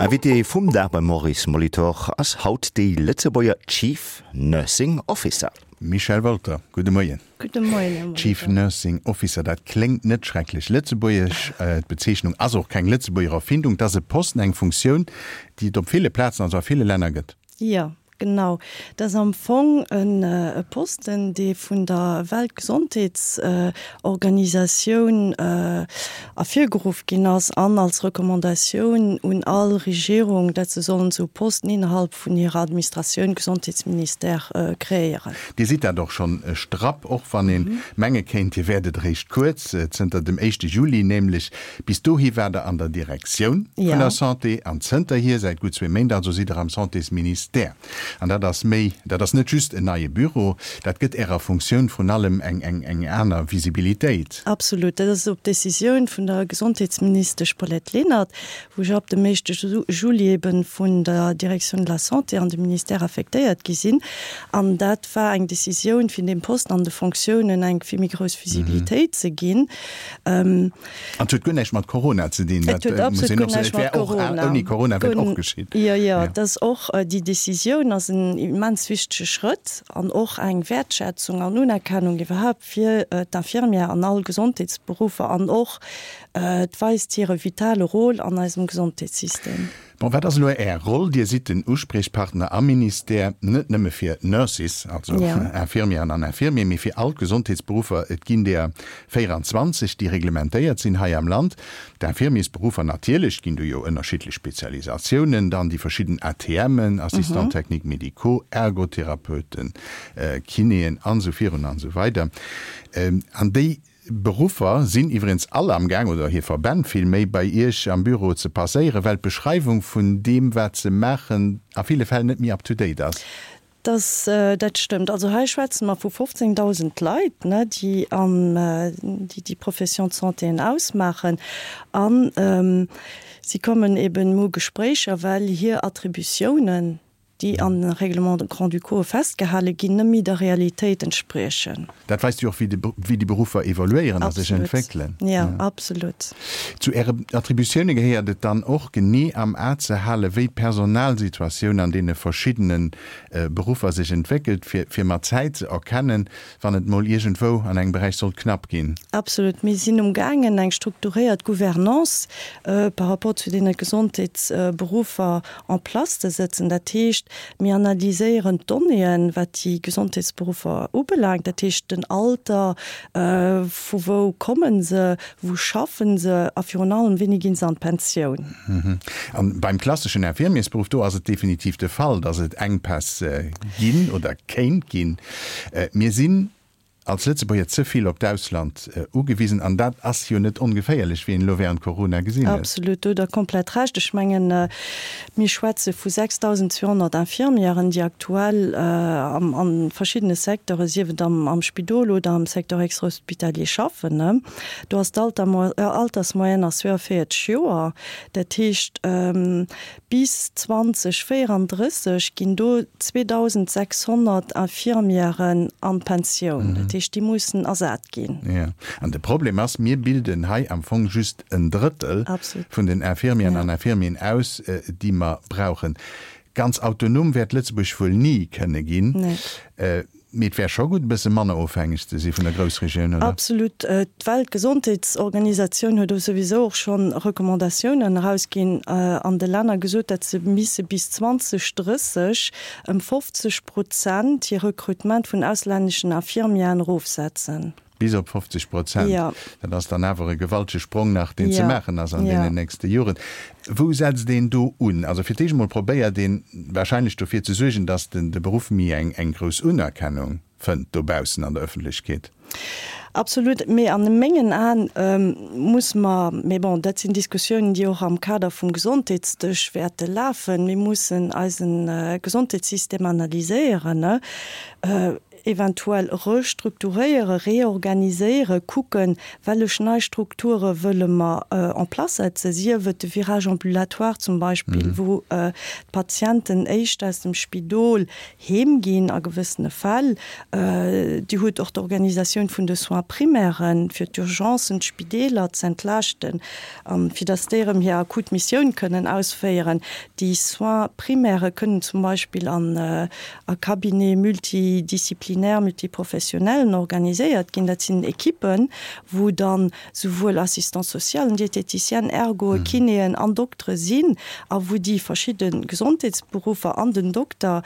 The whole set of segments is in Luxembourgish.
Invité vum Dag beim Maurice Molitor ass haut déi Lëtzebuerger Chief Nursing Officer. Michèle Wolter, gudde Moien. Gudde Moien, Här Molitor. Chief Nursing Officer, dat kléngt net schrecklech lëtzebuergesch. D'Bezeechnung ass och keng Lëtzebuerger Erfindung. Et ass e Posten, eng Funktioun, déi et op ville Plazen, also a ville Länner gëtt. Jo, Genau, dat ass am Fong e Posten, dee vun der Weltgesondheetsorganisatioun ervirgeruff ginn ass an als Recommandatioun un all Regierung, dat se sollen esou Posten innerhalb vun hirer Administratioun, Gesondheetsministère, kreéieren. Dir sidd dat och schonn strapp, och wann ee menge kéint, Dir wäert et eréischt kuerz, zënter dem éischte Juli nämlech. Bis dohi war Der an der Direktioun vun der Santé an zënterhier, säit gutt zwee Méint also, sidd Der am Santésministère. An dat ass méi, dat ass net just en neie Büro, dat gëtt Ärer Funktioun vrun allem eng, eng, eng aner Visibilitéit. Absolut. Dat ass op Decisioun vun der Gesondheetsministesch Paulette Lenert, wou ech ab dem éischte Juli eben vun der Direction de la Santé an de Ministère affektéiert gi sinn. An dat war eng Decisioun, fir deem Posten an de Fonctiounen eng vill méi grouss Visibilitéit ze ginn. An et huet guer näischt mat Corona ze dinn. Et huet absolut guer näischt mat Corona. Ouni Corona wär et och geschitt. Jo, jo, et ass och, déi Decisioun ass en immens wichtege Schrëtt an och eng Wäertschätzung an Unerkennung iwwerhaupt fir d'Infirmière an all Gesondheetsberuffer an och et weist hire vitale Rôle an eisem Gesondheetssystem. Bon, wat ass elo Är Roll? Dir sidd den Uspriechpartner am Ministère, net nëmme fir Nurses, also Infirmièren an Infirmier, mee fir all d'Gesondheetsberuffer. Et ginn der 24, déi reglementéiert sinn hei am Land. D'Infirmiersberuffer natierlech, et ginn do jo ënnerschiddlech Spezialisatiounen, dann déi verschidden ATMen, Assistants techniques médicaux, Ergotherapeuten, Kinéen an esou virun an esou weider. An déi Beruffer sinn iwwregens all am Gaang, oder hir Verbänn villméi, bei Iech am Büro ze passéieren, well d'Beschreiwung vun deem, wat se maachen, a ville Fäll net méi up to date ass. Dass dat stëmmt. Also hei schwätze mer vu 15.000 Leit, ne, déi an déi déi Profession de santéen ausmaachen. A si kommen eben u Gespréicher, well hir Attributiounen, déi an de Règlements grand-ducaux festgehale ginn, net méi der Realitéit entspriechen. Dat weist jo och, wéi déi Beruffer evoluéieren a sech entwéckelen. Absolut, jo, absolut. Zu Äre Attributioune gehéiert et dann och, genee am A ze halen, wéi d'Personalsituatioun an deene verschiddene Beruffer sech entwéckelt, fir mat Zäit ze erkennen, wann et mol iergendwou an engem Beräich sollt knapp ginn. Absolut. Mir sinn umgaangen, eng strukturéiert Gouvernance par rapport zu deene Gesondheetsberuffer en place ze sëtzen. Dat heescht, mir analyséieren d'Donnéeën, wat déi Gesondheetsberuffer ubelaangt, dat heescht den Alter, vu wou komme se, wou schaffen se a virun allem, wéini gi se an d'Pensioun. A beim klasseschen Infirmiersberuff, do ass et definitiv de Fall, dass et Enkpäss ginn oder kéint ginn. Mir sinn als Lëtzebuerger ze vill op d'Ausland ugewisen an dat ass jo net ongeféierlech, wéi een elo während Corona gesinn huet. Absolut, do hutt Der komplett Recht. Ech mengen, mir schwätze vu 6.200 Infirmièren, déi aktuell a verschiddene Secteure, sief et am Spidol oder am Secteur extrahospitalier schaffen. Do ass d'Altersmoyenne ass 42 Joer. Dat heescht, Bis 2034 ginn do 2.600 Infirmièren an d'Pensioun. Dat heescht, déi mussen ersat ginn. Jo, an de Problem ass, mir bilden hei am Fong just en Drëttel vun den Infirmièren an Infirmieren aus, déi mer brauchen. Ganz autonom wäert Lëtzebuerg wuel ni kënne ginn. Mee et wär scho gutt, e bësse manner ofhängeg ze si vun der Groussregioun, oder? Absolut. D'Weltgesondheetsorganisatioun huet souwisou och scho Recommandatiounen erausginn an de Länner gesot, datt se misse bis 2030 ëm 50 Prozent hir Recrutement vun auslänneschen Infirmieren erofsetzen. Bis op 50 Prozent. Dat ass dann awer e gewaltege Sprong nach, deen ze maachen ass an deenen nächste Joren. Wou setzt een do un? Also fir d'éischt emol probéiert een wahrscheinlech dofir ze suergen, datt de Beruff méi eng grouss Unerkennung fënnt dobaussen an der Ëffentlechkeet. Absolut. Mee a mengen Aen muss mer, mee bon, dat sinn Diskussiounen, déi och am Kader vum Gesondheetsdësch wäerte lafen, mir mussen eise Gesondheetssystem analyséieren. Eventuell restrukturéieren, reorganiséieren, kucken, wellech nei Strukture wëlle mer en place setzen, sief et de Virage ambulatoire zum Beispill, wou d'Patienten éischt aus dem Spidol heem ginn a gewëssene Fäll. Dir hutt och d'Organisatioun vun de Soins primairen, fir d'Urgencen, d'Spideeler z'entlaaschten a fir datt déi erëm hir akut Missioun kënnen ausféieren. Déi Soins primaires kënnen zum Beispill an a Cabinets multidisciplinaires, multiprofessionnellen organiséiert ginn. Dat sinn Ekippen, wou dann souwuel Assistants-socialen, Diététiciennes, Ergoen, Kinéen an Doktere sinn a wou déi verschidde Gesondheetsberuffer an den Dokter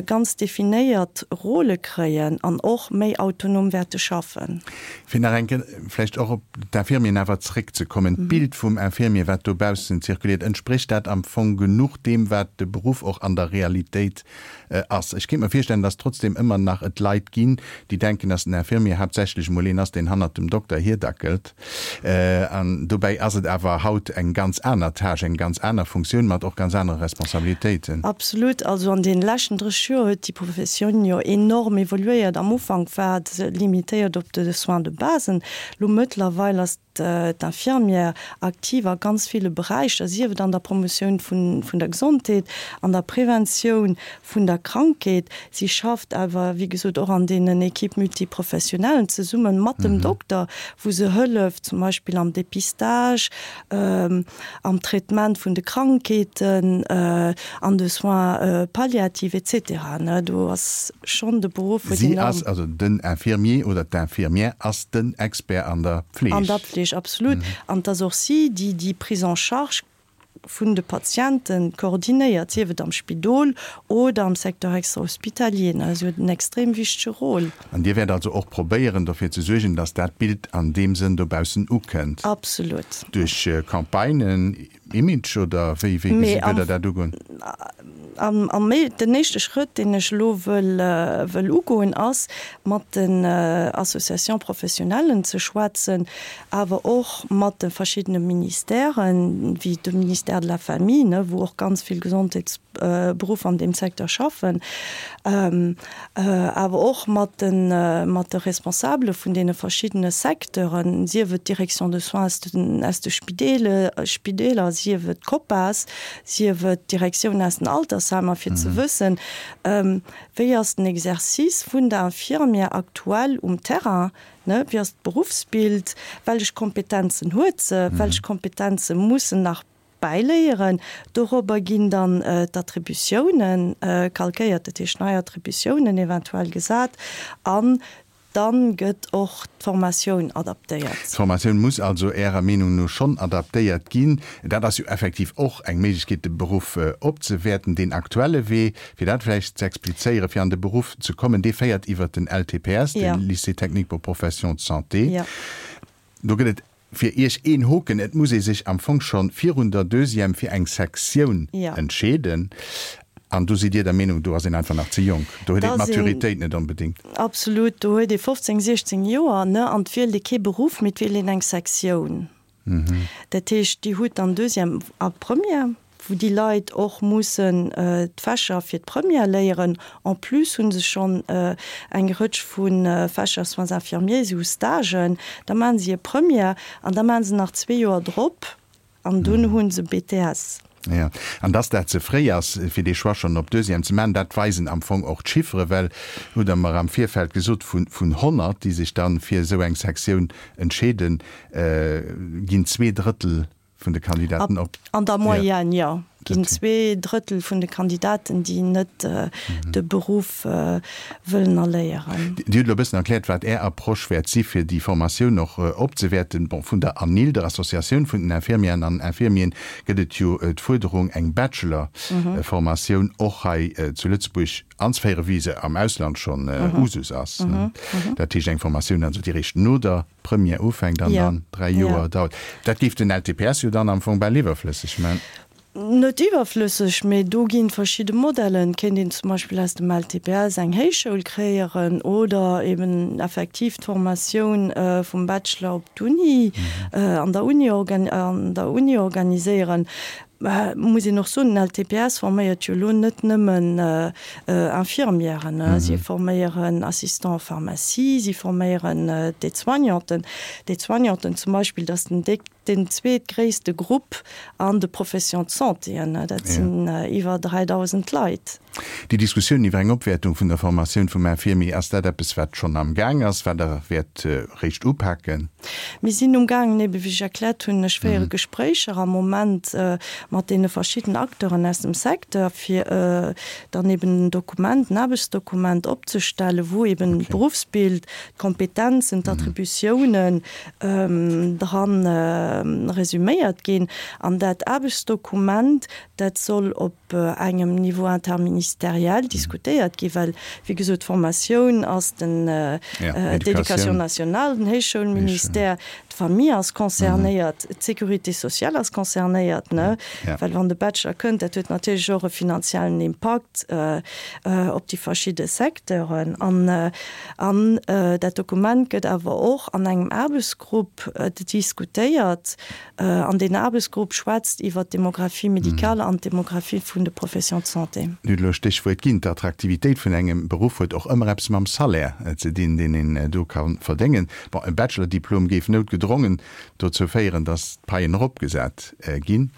ganz definéiert Rôle kréien an och méi autonom wäerte schaffen. Fir nach eng Kéier vläicht och op d'Infirmieren awer zréckzekommen, D'Bild vum Infirmier, wat dobaussen zirkuliert, entsprécht dat am Fong genuch deem, wat de Beruff och an der Realitéit ass. Ech kéint mer virstellen, dass trotzdem ëmmer nach et Leit ginn, déi denken, dass den Infirmier haaptsächlech emol een ass, deen hannert dem Dokter hierdackelt. An dobäi ass et awer haut eng ganz aner Tâche, eng ganz aner Funktioun mat och ganz anere Responsabilitéiten. Absolut. Also an deene leschten 30 Joer huet déi Professioun jo enorm evoluéiert. Am Ufank war se limitéiert op de Soins de base. Elo mëttlerweil ass d'Infirmière aktiv a ganz ville Beräicher, sief et an der Promotioun vun der Gesondheet, an der Preventioun vun der Krankheet. Si schafft awer, wéi gesot, och an deenen Équipes multiprofessionnellen zesumme mat dem Dokter, wou se hëlleft, zum Beispill am Dépistage, am Traitement vun de Krankheeten, an de Soins palliatifs et cetera. Do ass schonn de Beruff huet Si ass, also den Infirmier oder d'Infirmière ass den Expert an der Pfleg. An der Pfleg, absolut. An et ass och si, déi déi Prise en charge vun de Patiente koordinéiert, sief et am Spidol oder am Secteur extra-hospitalier. Si huet en extrem wichtege Rôle. An Dir wäert also och probéieren, dofir ze suergen, dass dat Bild an deem Sënn dobaussen ukënnt? Absolut. Duerch Campagnen, Image oder wéi wéi gesi wëllt Der dat ugoen? Am am den éischte Schrëtt, deen ech elo wëll wëll ugoen, ass mat den Associations professionnellen ze schwätzen, awer och mat de verschiddene Ministèren, wéi dem Ministère de la Famille, ne, wou och ganz vill Gesondheetsberuffer an deem Secteur schaffen, awer och mat de mat de Responsabele vun deene verschiddene Secteuren, sief et d'Direction de soins aus den aus de Spidele Spideeler, sief et d'COPAS, sief et d'Direktioun aus den Altersheimer, fir ze wëssen, wéi ass den Exercice vun der Infirmière aktuell um Terrain, ne, wéi ass d'Beruffsbild, wellech Kompetenzen huet se, wellech Kompetenze mussen nach bäiléieren. Dorobber ginn dann d'Attributiounen calquéiert, dat heescht nei Attributiounen eventuell gesat an dann gëtt och d'Formatioun adaptéiert. D'Formatioun muss also Ärer Meenung no schonn adaptéiert ginn. Dat ass jo effektiv och eng Méiglechkeet, de Beruff opzewäerten. Deen aktuelle Wee, fir dat vläicht ze explizéieren, fir an de Beruff ze kommen, dee féiert iwwert den LTPS, de Lycée technique pour professions de santé. Do gëtt et fir Iech een Hoken, Et muss ee sech am Fong scho virun der Deuxième fir eng Sektioun entscheeden. An do sidd Dir der Meenung, do ass een einfach nach ze jonk, do huet een d'Maturitéit net onbedéngt. Absolut, do huet ee 15, 16 Joer, ne, an et wielt ee kee Beruff, mee et wielt een eng Sektioun. Dat heescht, Dir hutt dann Deuxième a Première, wou déi Leit och mussen d'Fächer fir d'Première léieren. En plus hu se schonn eng Rëtsch vu Fächer Soins infirmiers, si hu Stagen, da maachen si hir Première an da maachen se nach zwee Joer drop an dunn hu se BTS. Jo, an dass dat ze fréi ass, fir dee Choix schonn op Deuxième ze maachen, dat weisen am Fong och d'Chiffere, well, hutt Der mer am Virfeld gesot, vun 100, déi sech da fir esou eng Sektioun entscheeden, ginn 2/3 vun de Kandidaten op. An der Moyenne, jo, ginn 2/3 vun de Kandidaten, déi net de Beruff wëllen erléieren. Dir hutt elo e bëssen erkläert, wat Är Approche wäert si fir déi Formatioun och opzewäerten. Bon, vun der ANIL, der Associatioun vun den Infirmièren an Infirmieren, gëtt et jo d'Fuerderung, eng Bachelor-Formatioun och hei zu Lëtzebuerg anzeféieren, wéi se am Ausland schonn Usus ass. Dat heescht eng Formatioun also, déi réischt no der Première ufänkt an dann 3 Joer dauert. Dat géif den LTPS jo dann am Fong bal iwwerflësseg man. Net iwwerflësseg, mee do ginn verschidde Modellen. Et kéint een zum Beispill aus dem LTPS eng Héichschoul kreéieren oder eben effektiv d'Formatioun vum Bachelor op d'Uni, an der Uni, an der Uni organiséieren. Muss een och soen, den LTPS forméiert jo elo net nëmmen Infirmièren, si forméieren Assistants en pharmacie, si forméieren d'Aide-soignanten. D'Aide-soignanten zum Beispill, dat ass den déck, den zweetgréisste Grupp an de Professions de santéen, dat sinn iwwer 3.000 Leit. Déi Diskussioun iwwer eng Opwäertung vun der Formatioun vum Infirmier, ass dat eppes, wat schonn am Gaang ass, wat Der wäert réischt upaken? Mir sinn um gaangen, ebe wéi ech erkläert hunn, ech féiere Gespréicher am Moment mat deene verschidden Acteuren aus dem Secteur, fir dann eben en Dokument, en Aarbechtsdokument opzestellen, wou eben d'Beruffsbild, d'Kompetenzen, d'Attributiounen dran resüméiert ginn. An dat Aarbechtsdokument, dat soll op engem Niveau interministériel diskutéiert ginn, well, wéi gesot, d'Formatioun ass den, d'Éducation nationale, den Héichschoulministère, d'Famille ass concernéiert, d'Sécurité sociale ass concernéiert, ne, well wann de Bachelor kënnt, dat huet natierlech och e finanziellen Impakt op déi verschidde Secteuren. An, an dat Dokument gëtt awer och an engem Aarbechtsgrupp diskutéiert, An deen Aarbechtsgrupp schwätzt iwwert d'Démographie médicale an d'Démographie vun de Professions de santé. Dir hutt elo e Stéchwuert ginn, D'Attraktivitéit vun engem Beruff huet och ëmmer eppes mam Salaire ze dinn, deen een do ka verdéngen. Bon, e Bachelor-Diplom géif noutgedrongen dozou féieren, datt d'Paien eropgesat ginn.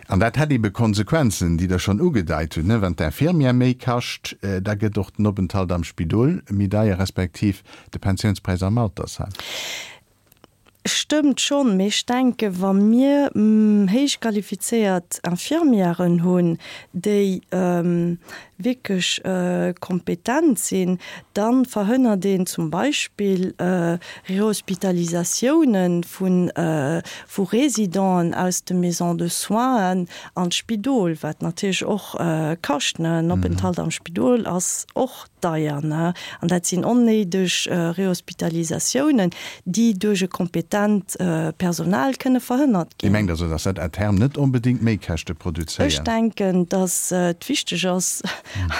An dat hätt ebe Konsequenzen, déi Der schonn ugedeit hutt, ne? Wann d'Infirmière méi kascht, da gëtt och den Openthalt am Spidol méi deier, respektiv de Pensiounspräis am Altersheim. Stëmmt schonn, mee ech denken, wa mir héich qualifizéiert Infirmièren hunn, déi wierklech kompetent sinn, da verhënnert een zum Beispill Rehospitalisatiounen vu Résidenten aus de Maisons de soins an d'Spidol, wat natierlech och kascht. En Openthalt am Spidol ass och deier, ne? An dat sinn onnéideg Rehospitalisatiounen, déi duerch e kompetent Personal kënne verhënnert Dir ginn. mengt also, dass dat à terme net onbedéngt Méikäschte produzéiert? Ech denken, dass et wichteg ass,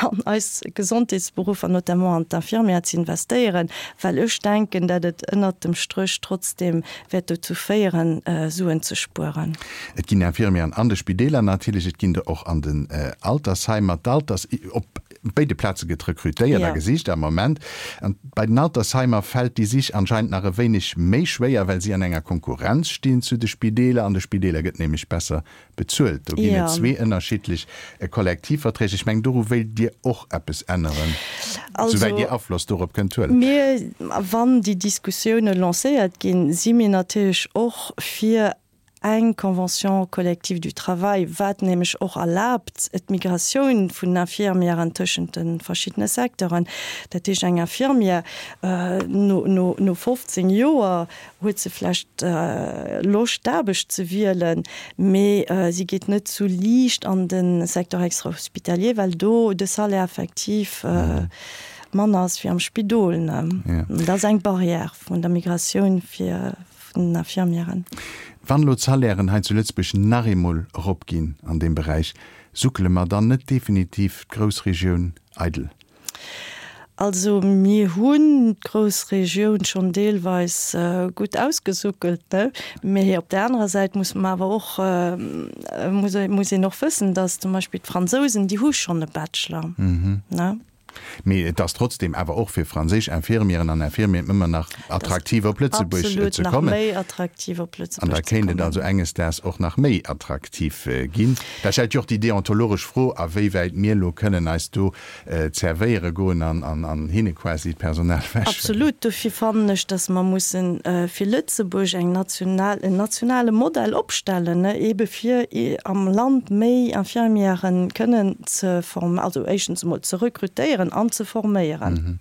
an eis Gesondheetsberuffer, notamment an d'Infirmière ze investéieren, well ech denken, dat et ënnert dem Stréch trotzdem wäert dozou féieren, Suen ze spueren. Et ginn Infirmieren an de Spideeler natierlech, et ginn der och an den Altersheimer. D'Alters, op Op béide Plaze gëtt rekrutéiert a gesicht am Moment. An bei den Altersheimer fält déi Sich anscheinend nach e wéineg méi schwéier, well si an enger Konkurrenz stinn zu de Spideeler. An de Spideeler gëtt nämlech besser bezuelt. Do ginn et zwee ënnerschiddlech Kollektivverträg. Ech mengen, doru wéilt Dir och eppes änneren, souwäit Dir Afloss dorop kënnt huelen. Mir, wann déi Diskussioune lancéiert ginn, si mir natierlech och fir eng Convention collective du travail, wat nämlech och erlaabt d'Migratioun vun Infirmièren tëschent de verschiddene Secteuren. Dat heescht, eng Infirmière no no 15 Joer huet se vlächtt Loscht d'Aarbecht ze wielen, mee si geet net sou liicht an de Secteur extra-hospitalier, well do de Salaire effektiv manner ass wéi am Spidol. Dat ass eng Barrière vun der Migratioun fir vun den Infirmièren. Wann elo d'Salairen hei zu Lëtzebuerg nach eemol eropginn an deem Beräich, suckele mer dann net definitiv d'Groussregioun eidel? Also mir hunn d'Groussregioun schonn deelweis gutt ausgesuckelt, ne? Mee op där anerer Säit muss mer awer och, muss een och wëssen, datt zum Beispill d'Fransousen, déi hu schonn e Bachelor, ne? Mee et ass trotzdem awer och fir franséisch Infirmieren an Infirmieren ëmmer nach attraktiv op Lëtzebuerg ze kommen. An da kéint et also enges Daags och nach méi attraktiv ginn. Da stellt jo och déi deontologesch Fro, a wéi wäit mir elo kënnen eis do zerwéiere goen an hinne quasi d'Personal ewechhuelen. Absolut. Dofir fannen ech, datt mer mussen fir Lëtzebuerg eng national, en nationale Modell opstellen, eebe fir am Land méi Infirmièren kënnen ze form, also éischtens emol ze rekrutéieren an ze forméieren.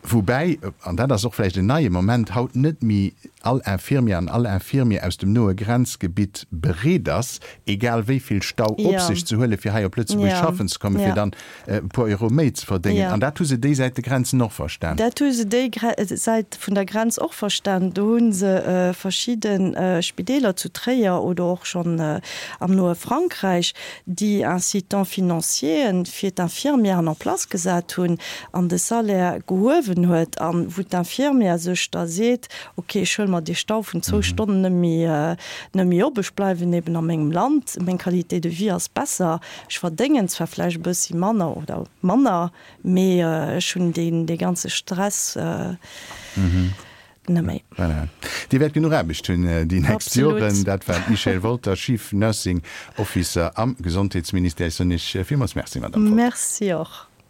Woubäi, an dat ass och vläicht en neie Moment, haut net méi all Infirmière an all Infirmier aus dem noe Grenzgebitt bereet ass, egal wéi vill Stau op sech ze huelen, fir hei op Lëtzebuerg schaffen ze kommen, fir dann e puer Euro méi ze verdéngen. An dat hu se déi Säit de Grenzen och verstan. Dat hu se déi Säit vun der Grenz och verstan. Do hu se verschidde Spideeler zu Tréier oder och schonn am noe Frankräich, déi Incitants financieren fir d'Infirmièren en place gesat hunn. hunn an de Salaire gehuewen huet a wou d'Infirmière sech da seet, ok, ech huele mer dee Stau vun zwou Stonnen net méi, net méi op, ech bleiwen eben a mengem Land, meng Qualité de vie ass besser, ech verdéngen zwar vläicht e bëssi manner oder manner, mee ech hunn deen, dee ganze Stress net méi. Voilà. Dir wäert genuch Aarbecht hunn déi nächst Joren. Dat war d'Michèle Wolter, Chief Nursing Officer am Gesondheetsministère. Ech soen Iech villmools Merci, Madamm Wolter. Merci och.